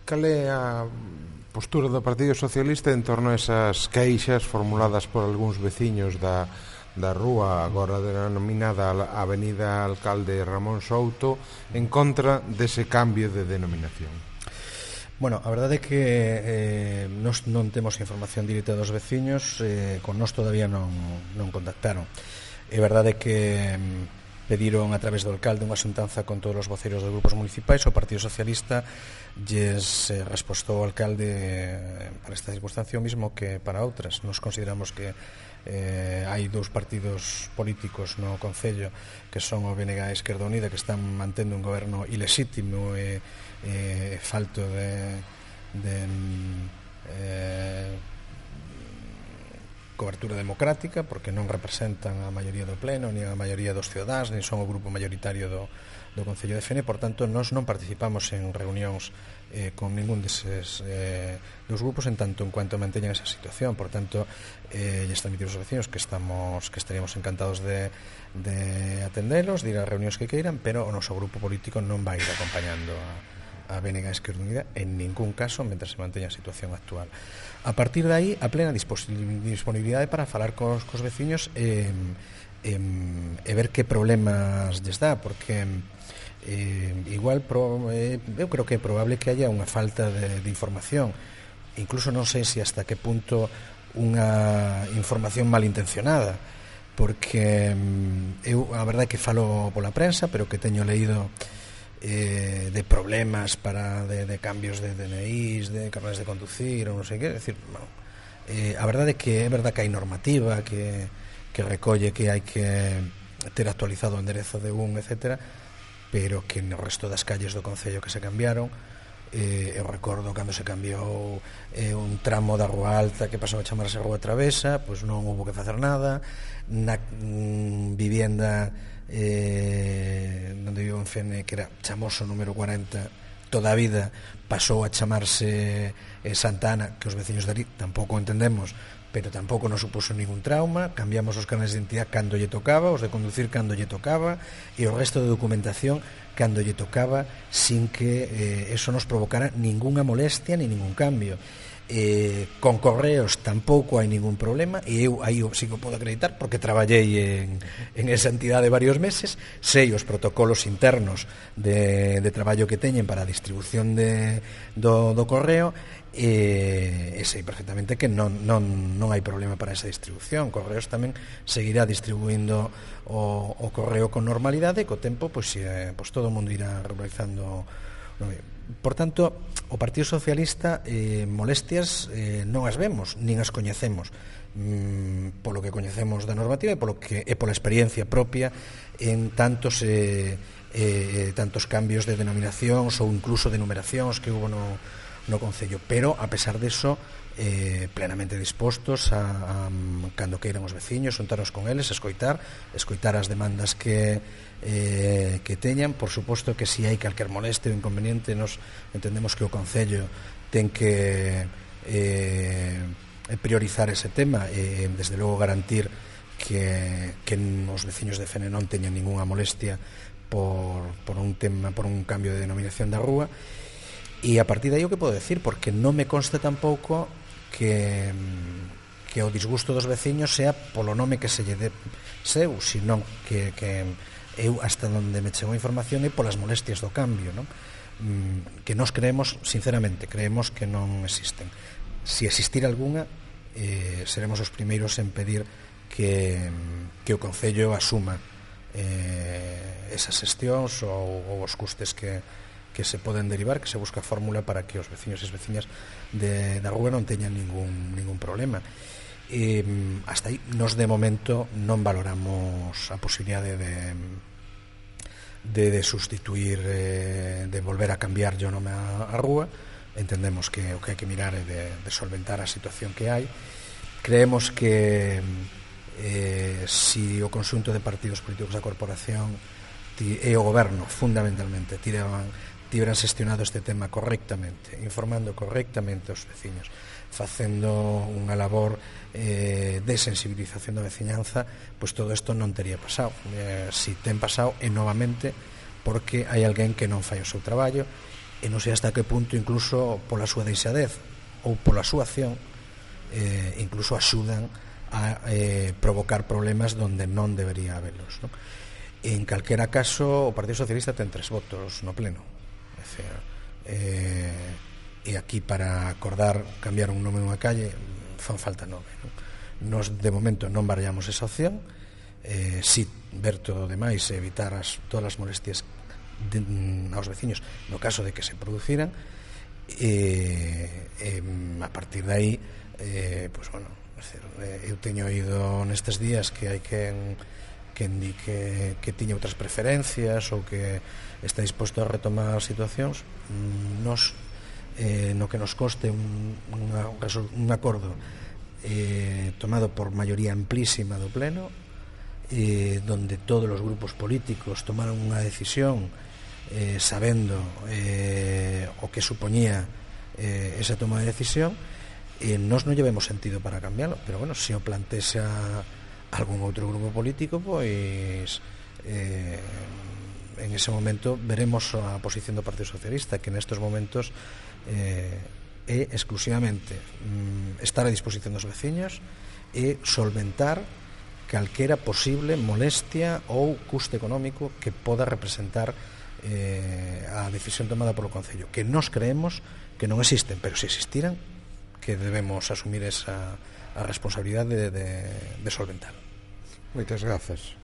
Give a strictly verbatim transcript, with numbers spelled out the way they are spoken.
cal é a postura do Partido Socialista en torno a esas queixas formuladas por algúns veciños da, da rúa agora denominada a Avenida Alcalde Ramón Souto en contra dese cambio de denominación? Bueno, a verdade é que eh, nos non temos información directa dos veciños, eh, con nós todavía non, non contactaron. É verdade que pediron a través do alcalde unha xuntanza con todos os voceiros dos grupos municipais. O Partido Socialista lles eh, respostou ao alcalde eh, para esta circunstancia o mismo que para outras. Nos consideramos que eh, hai dous partidos políticos no Concello que son o B N G e a Esquerda Unida, que están mantendo un goberno ilexítimo e eh, falto de, de eh, cobertura democrática, porque non representan a maioría do pleno, nin a maioría dos cidadáns, nin son o grupo mayoritario do, do Concello de Fene. Por tanto, nós non participamos en reunións eh, con ningún deses eh, dos grupos en tanto en cuanto manteñan esa situación. Por tanto, eh, lles transmitimos aos vecinos que estamos que estaríamos encantados de, de atendelos, de ir a reunións que queiran, pero o noso grupo político non vai ir acompañando a a B N G e a Esquerda Unida en ningún caso mentre se manteña a situación actual. A partir de aí, a plena disponibilidade para falar cos, cos veciños e, e, e ver que problemas lles dá, porque eh, igual pro, eh, eu creo que é probable que haya unha falta de, de información. Incluso non sei se hasta que punto unha información malintencionada, porque eu a verdade é que falo pola prensa, pero que teño leído Eh, de problemas para de, de cambios de D N Is, de carnes de conducir ou non sei que, é dicir, bueno, eh, a verdade é que é verdade que hai normativa que, que recolle que hai que ter actualizado o enderezo de un, etcétera, pero que no resto das calles do Concello que se cambiaron, eh, eu recordo cando se cambiou eh, un tramo da Rúa Alta que pasou a chamarse Rúa Travesa, pois non houve que facer nada. Na mm, vivienda eh, onde vivo en Fene, que era Chamoso número cuarenta, toda a vida pasou a chamarse eh, Santa Ana, que os veciños dali tampouco entendemos, pero tampouco nos supuso ningún trauma. Cambiamos os carnes de identidade cando lle tocaba, os de conducir cando lle tocaba, e o resto de documentación cando lle tocaba, sin que eh, eso nos provocara ninguna molestia ni ningún cambio. Eh, con correos tampouco hai ningún problema, e eu aí sí que podo acreditar porque traballei en, en esa entidade varios meses, sei os protocolos internos de, de traballo que teñen para a distribución de, do, do correo, e, e sei perfectamente que non, non, non hai problema para esa distribución. Correos tamén seguirá distribuindo o, o correo con normalidade, e co tempo pois, eh, pois todo o mundo irá regularizando. Por tanto, o Partido Socialista eh, molestias eh, non as vemos, nin as coñecemos, mm, polo que coñecemos da normativa e polo que é pola experiencia propia en tantos eh, eh, tantos cambios de denominacións ou incluso de numeracións que hubo no, no Concello. Pero, a pesar deso, eh, plenamente dispostos a, a cando queiran os veciños, xuntarnos con eles, escoitar escoitar as demandas que Eh, que teñan. Por suposto que si hai calquer moleste ou inconveniente, nos entendemos que o Concello ten que eh, priorizar ese tema e desde logo garantir que, que os veciños de Fene non teñan ninguna molestia por, por un tema, por un cambio de denominación da rúa. E a partir de aí o que podo decir, porque non me consta tampouco que que o disgusto dos veciños sea polo nome que se lle de seu, sino que, que eu hasta onde me chegou a información é polas molestias do cambio, non? Mm, que nós creemos, sinceramente, creemos que non existen. Si existir algunha, eh, seremos os primeiros en pedir que, que o Concello asuma eh, esas xestións ou, ou os custes que, que se poden derivar, que se busca fórmula para que os veciños e as veciñas de, da rúa non teñan ningún, ningún problema. E hasta aí, nos de momento non valoramos a posibilidade de de, de sustituir eh, de volver a cambiar o nome a, a rúa. Entendemos que o que hai que mirar é de, de solventar a situación que hai. Creemos que eh, si o conxunto de partidos políticos da corporación e o goberno fundamentalmente tiran, tiveran xestionado este tema correctamente, informando correctamente aos veciños, facendo unha labor eh, de sensibilización da veciñanza, pois todo isto non tería pasado. Eh, si ten pasado é novamente porque hai alguén que non fai o seu traballo e non sei hasta que punto incluso pola súa deixadez ou pola súa acción eh, incluso axudan a eh, provocar problemas donde non debería habelos, non? En calquera caso o Partido Socialista ten tres votos no pleno, é dicir, eh, e aquí para acordar cambiar un nome nunha calle fan falta nove, non? Nos de momento non barallamos esa opción, eh, si ver todo o demais e evitar as, todas as molestias de, aos veciños no caso de que se produciran, e, e a partir de aí eh, pues bueno, eu teño oído nestes días que hai quen quen di que, que tiña outras preferencias ou que está disposto a retomar situacións. Nos eh, no que nos coste un, una, un acordo eh, tomado por maioría amplísima do pleno, eh, donde todos os grupos políticos tomaron unha decisión eh, sabendo eh, o que supoñía eh, esa toma de decisión, e nós non llevemos sentido para cambiarlo, pero bueno, se o plantexa algún outro grupo político, pois eh, en ese momento veremos a posición do Partido Socialista, que nestes momentos eh, é exclusivamente mm, estar a disposición dos veciños e solventar calquera posible molestia ou custe económico que poda representar eh, a decisión tomada polo Concello, que nós creemos que non existen, pero se existiran, que debemos asumir esa a responsabilidade de, de, de solventar. Moitas grazas.